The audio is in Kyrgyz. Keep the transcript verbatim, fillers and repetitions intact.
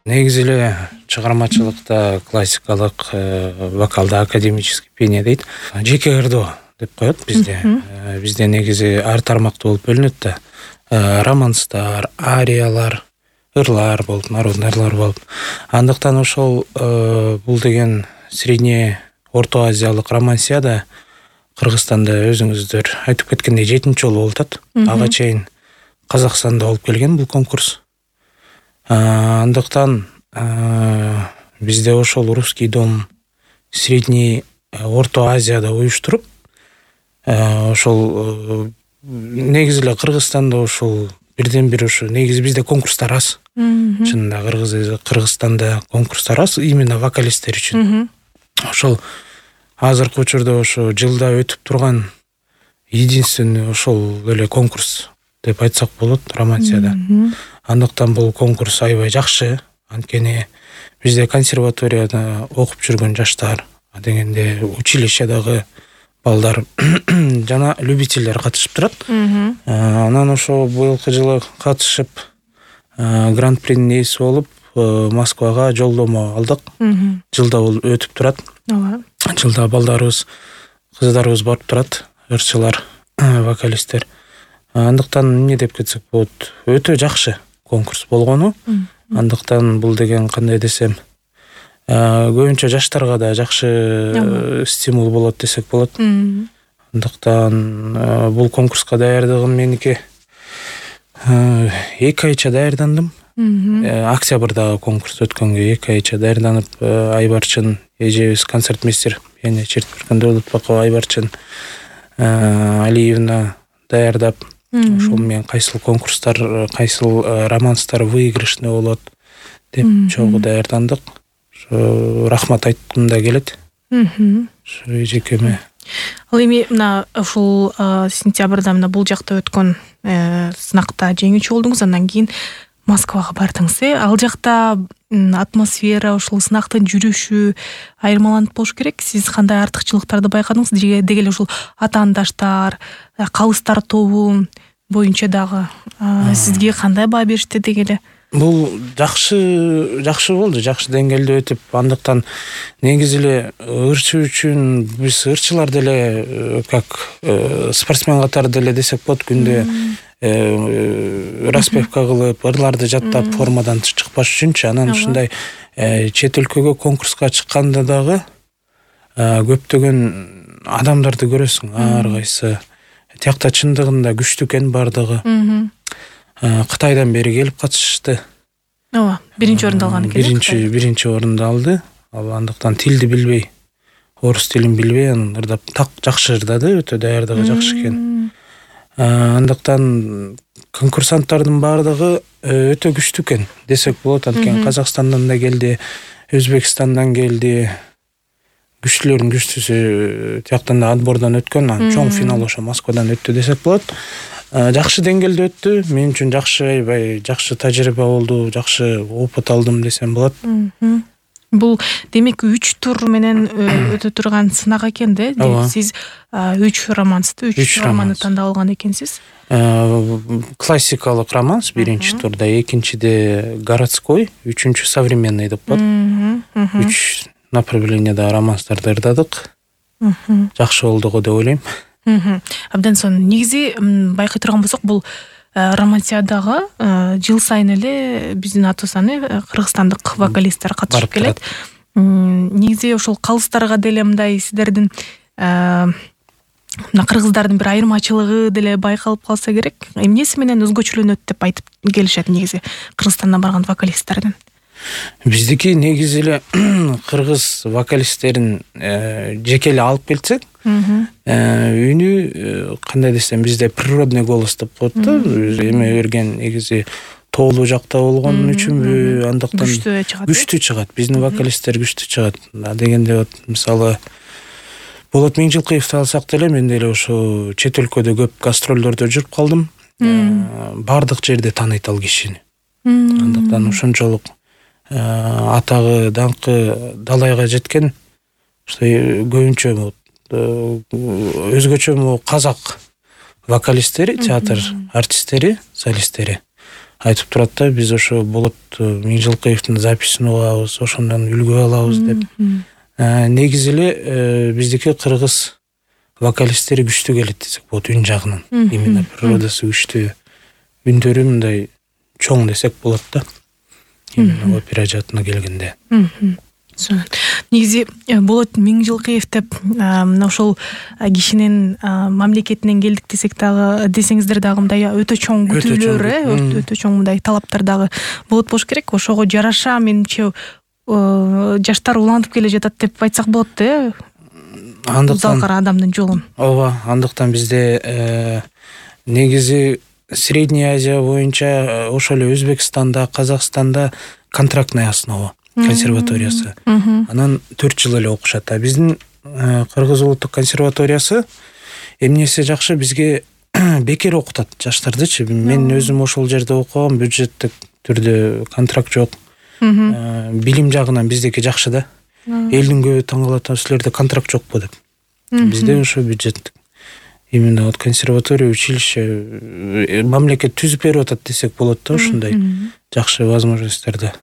Негизи эле чыгармачылыкта классикалык вокалда академический пение дейт. Жеке ырдоо деп коет бизде. Бизде негизи ар тармактуу болуп бөлүнөт да. Романстар, ариялар, ырлар болуп, народный ырлар болуп. Андыктан ошол бул деген средне Орто Азиялык романсияда Кыргызстанда өзүңүздөр айтып кеткендей жетинчи жолу болуп атат. Ага чейин Казакстанда болуп келген бул конкурс. Андыктан бизде ошол русский дом средний Орто Азияда уюштуруп, ошол негизи эле Кыргызстанда ошол бирден бир ошо негизи бизде конкурстар аз. Чынында Кыргыз Кыргызстанда конкурстар аз именно вокалисттер үчүн. Ошол азыркы учурда ошо жылда өтүп турган единственный ошол эле конкурс деп айтсак болот романсияда. Андыктан бул конкурс аябай жакшы. Анткени бизде консерваторияда окуп жүргөн жаштар, дегенде училищедагы балдар жана любительдер катышып турат. Анан ошо быйылкы жылы катышып гран-принин ээси болуп Москвага жолдомо алдык. Жылда бул өтүп турат. Жылда балдарыбыз, кыздарыбыз барып турат, ырчылар, вокалисттер. Андыктан эмне деп кетсек болот, өтө жакшы конкурс болгону. Андыктан бул деген кандай десем, көбүнчө жаштарга да жакшы стимул болот десек болот. Андыктан бул конкурска даярдыгым меники эки айча даярдандым. Октябрдагы конкурс өткөнгө эки айча даярданып, Айбарчын эжебиз концертмейстер, яны Чертберген Дөөлөтбакова Айбарчын Алиевна даярдап, ошол менен кайсыл конкурстар, кайсыл романстар выигрышный болот деп чогуу даярдандык. Ошо рахмат айткым да келет. Ошо эжекеме. Ал эми мына ушул сентябрда мына бул жакта өткөн сынакта жеңүүчү болдуңуз, андан кийин Москвага бардыңыз. Ал жакта атмосфера, ошол сынактын жүрүшү айырмаланып болуш керек. Сиз кандай артыкчылыктарды байкадыңыз? Деги эле ушул атаандаштар, калыстар тобу боюнча дагы сизге кандай баа беришти деги эле? Бул жакшы жакшы болду, жакшы деңгээлде өтүп, андыктан негизи эле ырчы үчүн биз ырчылар деле как спортсмен катары деле десек болот, күндө распевка кылып, ырларды жаттап формадан чыкпаш үчүнчү. Анан ушундай чет өлкөгө конкурска чыкканда дагы көптөгөн адамдарды көрөсүң, ар кайсы тиякта чындыгында күчтүү экен бардыгы. Кытайдан бери келип катышты. Ооба, биринчи орунду алган экен. Биринчи биринчи орунду алды. Ал андыктан тилди билбей, орус тилин билбей, анан ырдап так жакшы ырдады, өтө даярдыгы жакшы экен. Андыктан конкурсанттардын бардыгы өтө күчтүү экен десек болот. Анткени Казакстандан да келди, Өзбекстандан келди. Күчтүүлөрдүн күчтүүсү тияктан да отбордон өткөн, анан чоң финал ошо Москвадан өттү десек болот. Жакшы деңгээлде өттү. Мен үчүн жакшы, аябай жакшы тажрыйба болду, жакшы опыт алдым десем болот. Бул демек үч тур менен өтө турган сынак экен да. Сиз үч романсты, үч романды тандап алган экенсиз. Классикалык романс биринчи турда, экинчиде городской, үчүнчү современный деп коет. Үч направленияда романстарды ырдадык. Жакшы болду го деп ойлойм. Абдан сонун. Негизи байкай турган болсок, бул романсиядагы жыл сайын эле биздин аты саны кыргызстандык вокалисттер катышып келет. Негизи ошол калыстарга деле мындай сиздердин мына кыргыздардын бир айырмачылыгы деле байкалып калса керек. Эмнеси менен өзгөчөлөнөт деп айтып келишет негизи Кыргызстандан барган вокалисттердин? Биздики негизи эле кыргыз вокалисттерин жеке эле алып келсек, үнү кандай десем, бизде природный голос деп коет да, эме берген негизи тоолуу жакта болгон үчүнбү, андыктан күчтүү чыгат. Биздин вокалисттер күчтүү чыгат. Дегенде вот мисалы Болот Миңжилкыевди алсак деле, мен деле ошо чет өлкөдө көп гастролдордо жүрүп калдым. Бардык жерде тааныйт ал кишини. Андыктан ошончолук атагы, даңкы далайга жеткен, что көбүнчө өзгөчө казак вокалисттери, театр артисттери, солисттери. айтып турат да, биз ошо Болот Миңжылкыевдин записин угабыз, ошондон үлгү алабыз деп. Негизи эле биздики кыргыз вокалисттери күчтүү келет десек болот, үн жагынан. Именно природасы күчтүү, үндөрү мындай чоң десек болот да. Именно опера жаатына келгенде. Негизи Болот Миңжылкыев деп мына ошол кишинин мамлекетинен келдик десек дагы, десеңиздер дагы мындай өтө чоң күтүүлөр, э, өтө чоң мындай талаптар дагы болот болуш керек. Ошого жараша менимче жаштар улантып келе жатат деп айтсак болот, э? Андыктан залкара адамдын жолун. Ооба, андыктан бизде негизи Средняя Азия боюнча ошол эле Өзбекстанда, Казакстанда контрактная основа консерваториясы. Анан төрт жыл эле окушат. А биздин Кыргыз улуттук консерваториясы эмнеси жакшы, бизге бекер окутат жаштардычы. Мен өзүм ошол жерде окугам, бюджеттик түрдө контракт жок. Билим жагынан биздики жакшы да. Элдин көбү таң калат, силерде контракт жокпу деп. Бизде ошо бюджеттик. Именно вот консерватория, училище мамлекет түзүп берип атат десек болот да, ушундай жакшы возможностьтарды.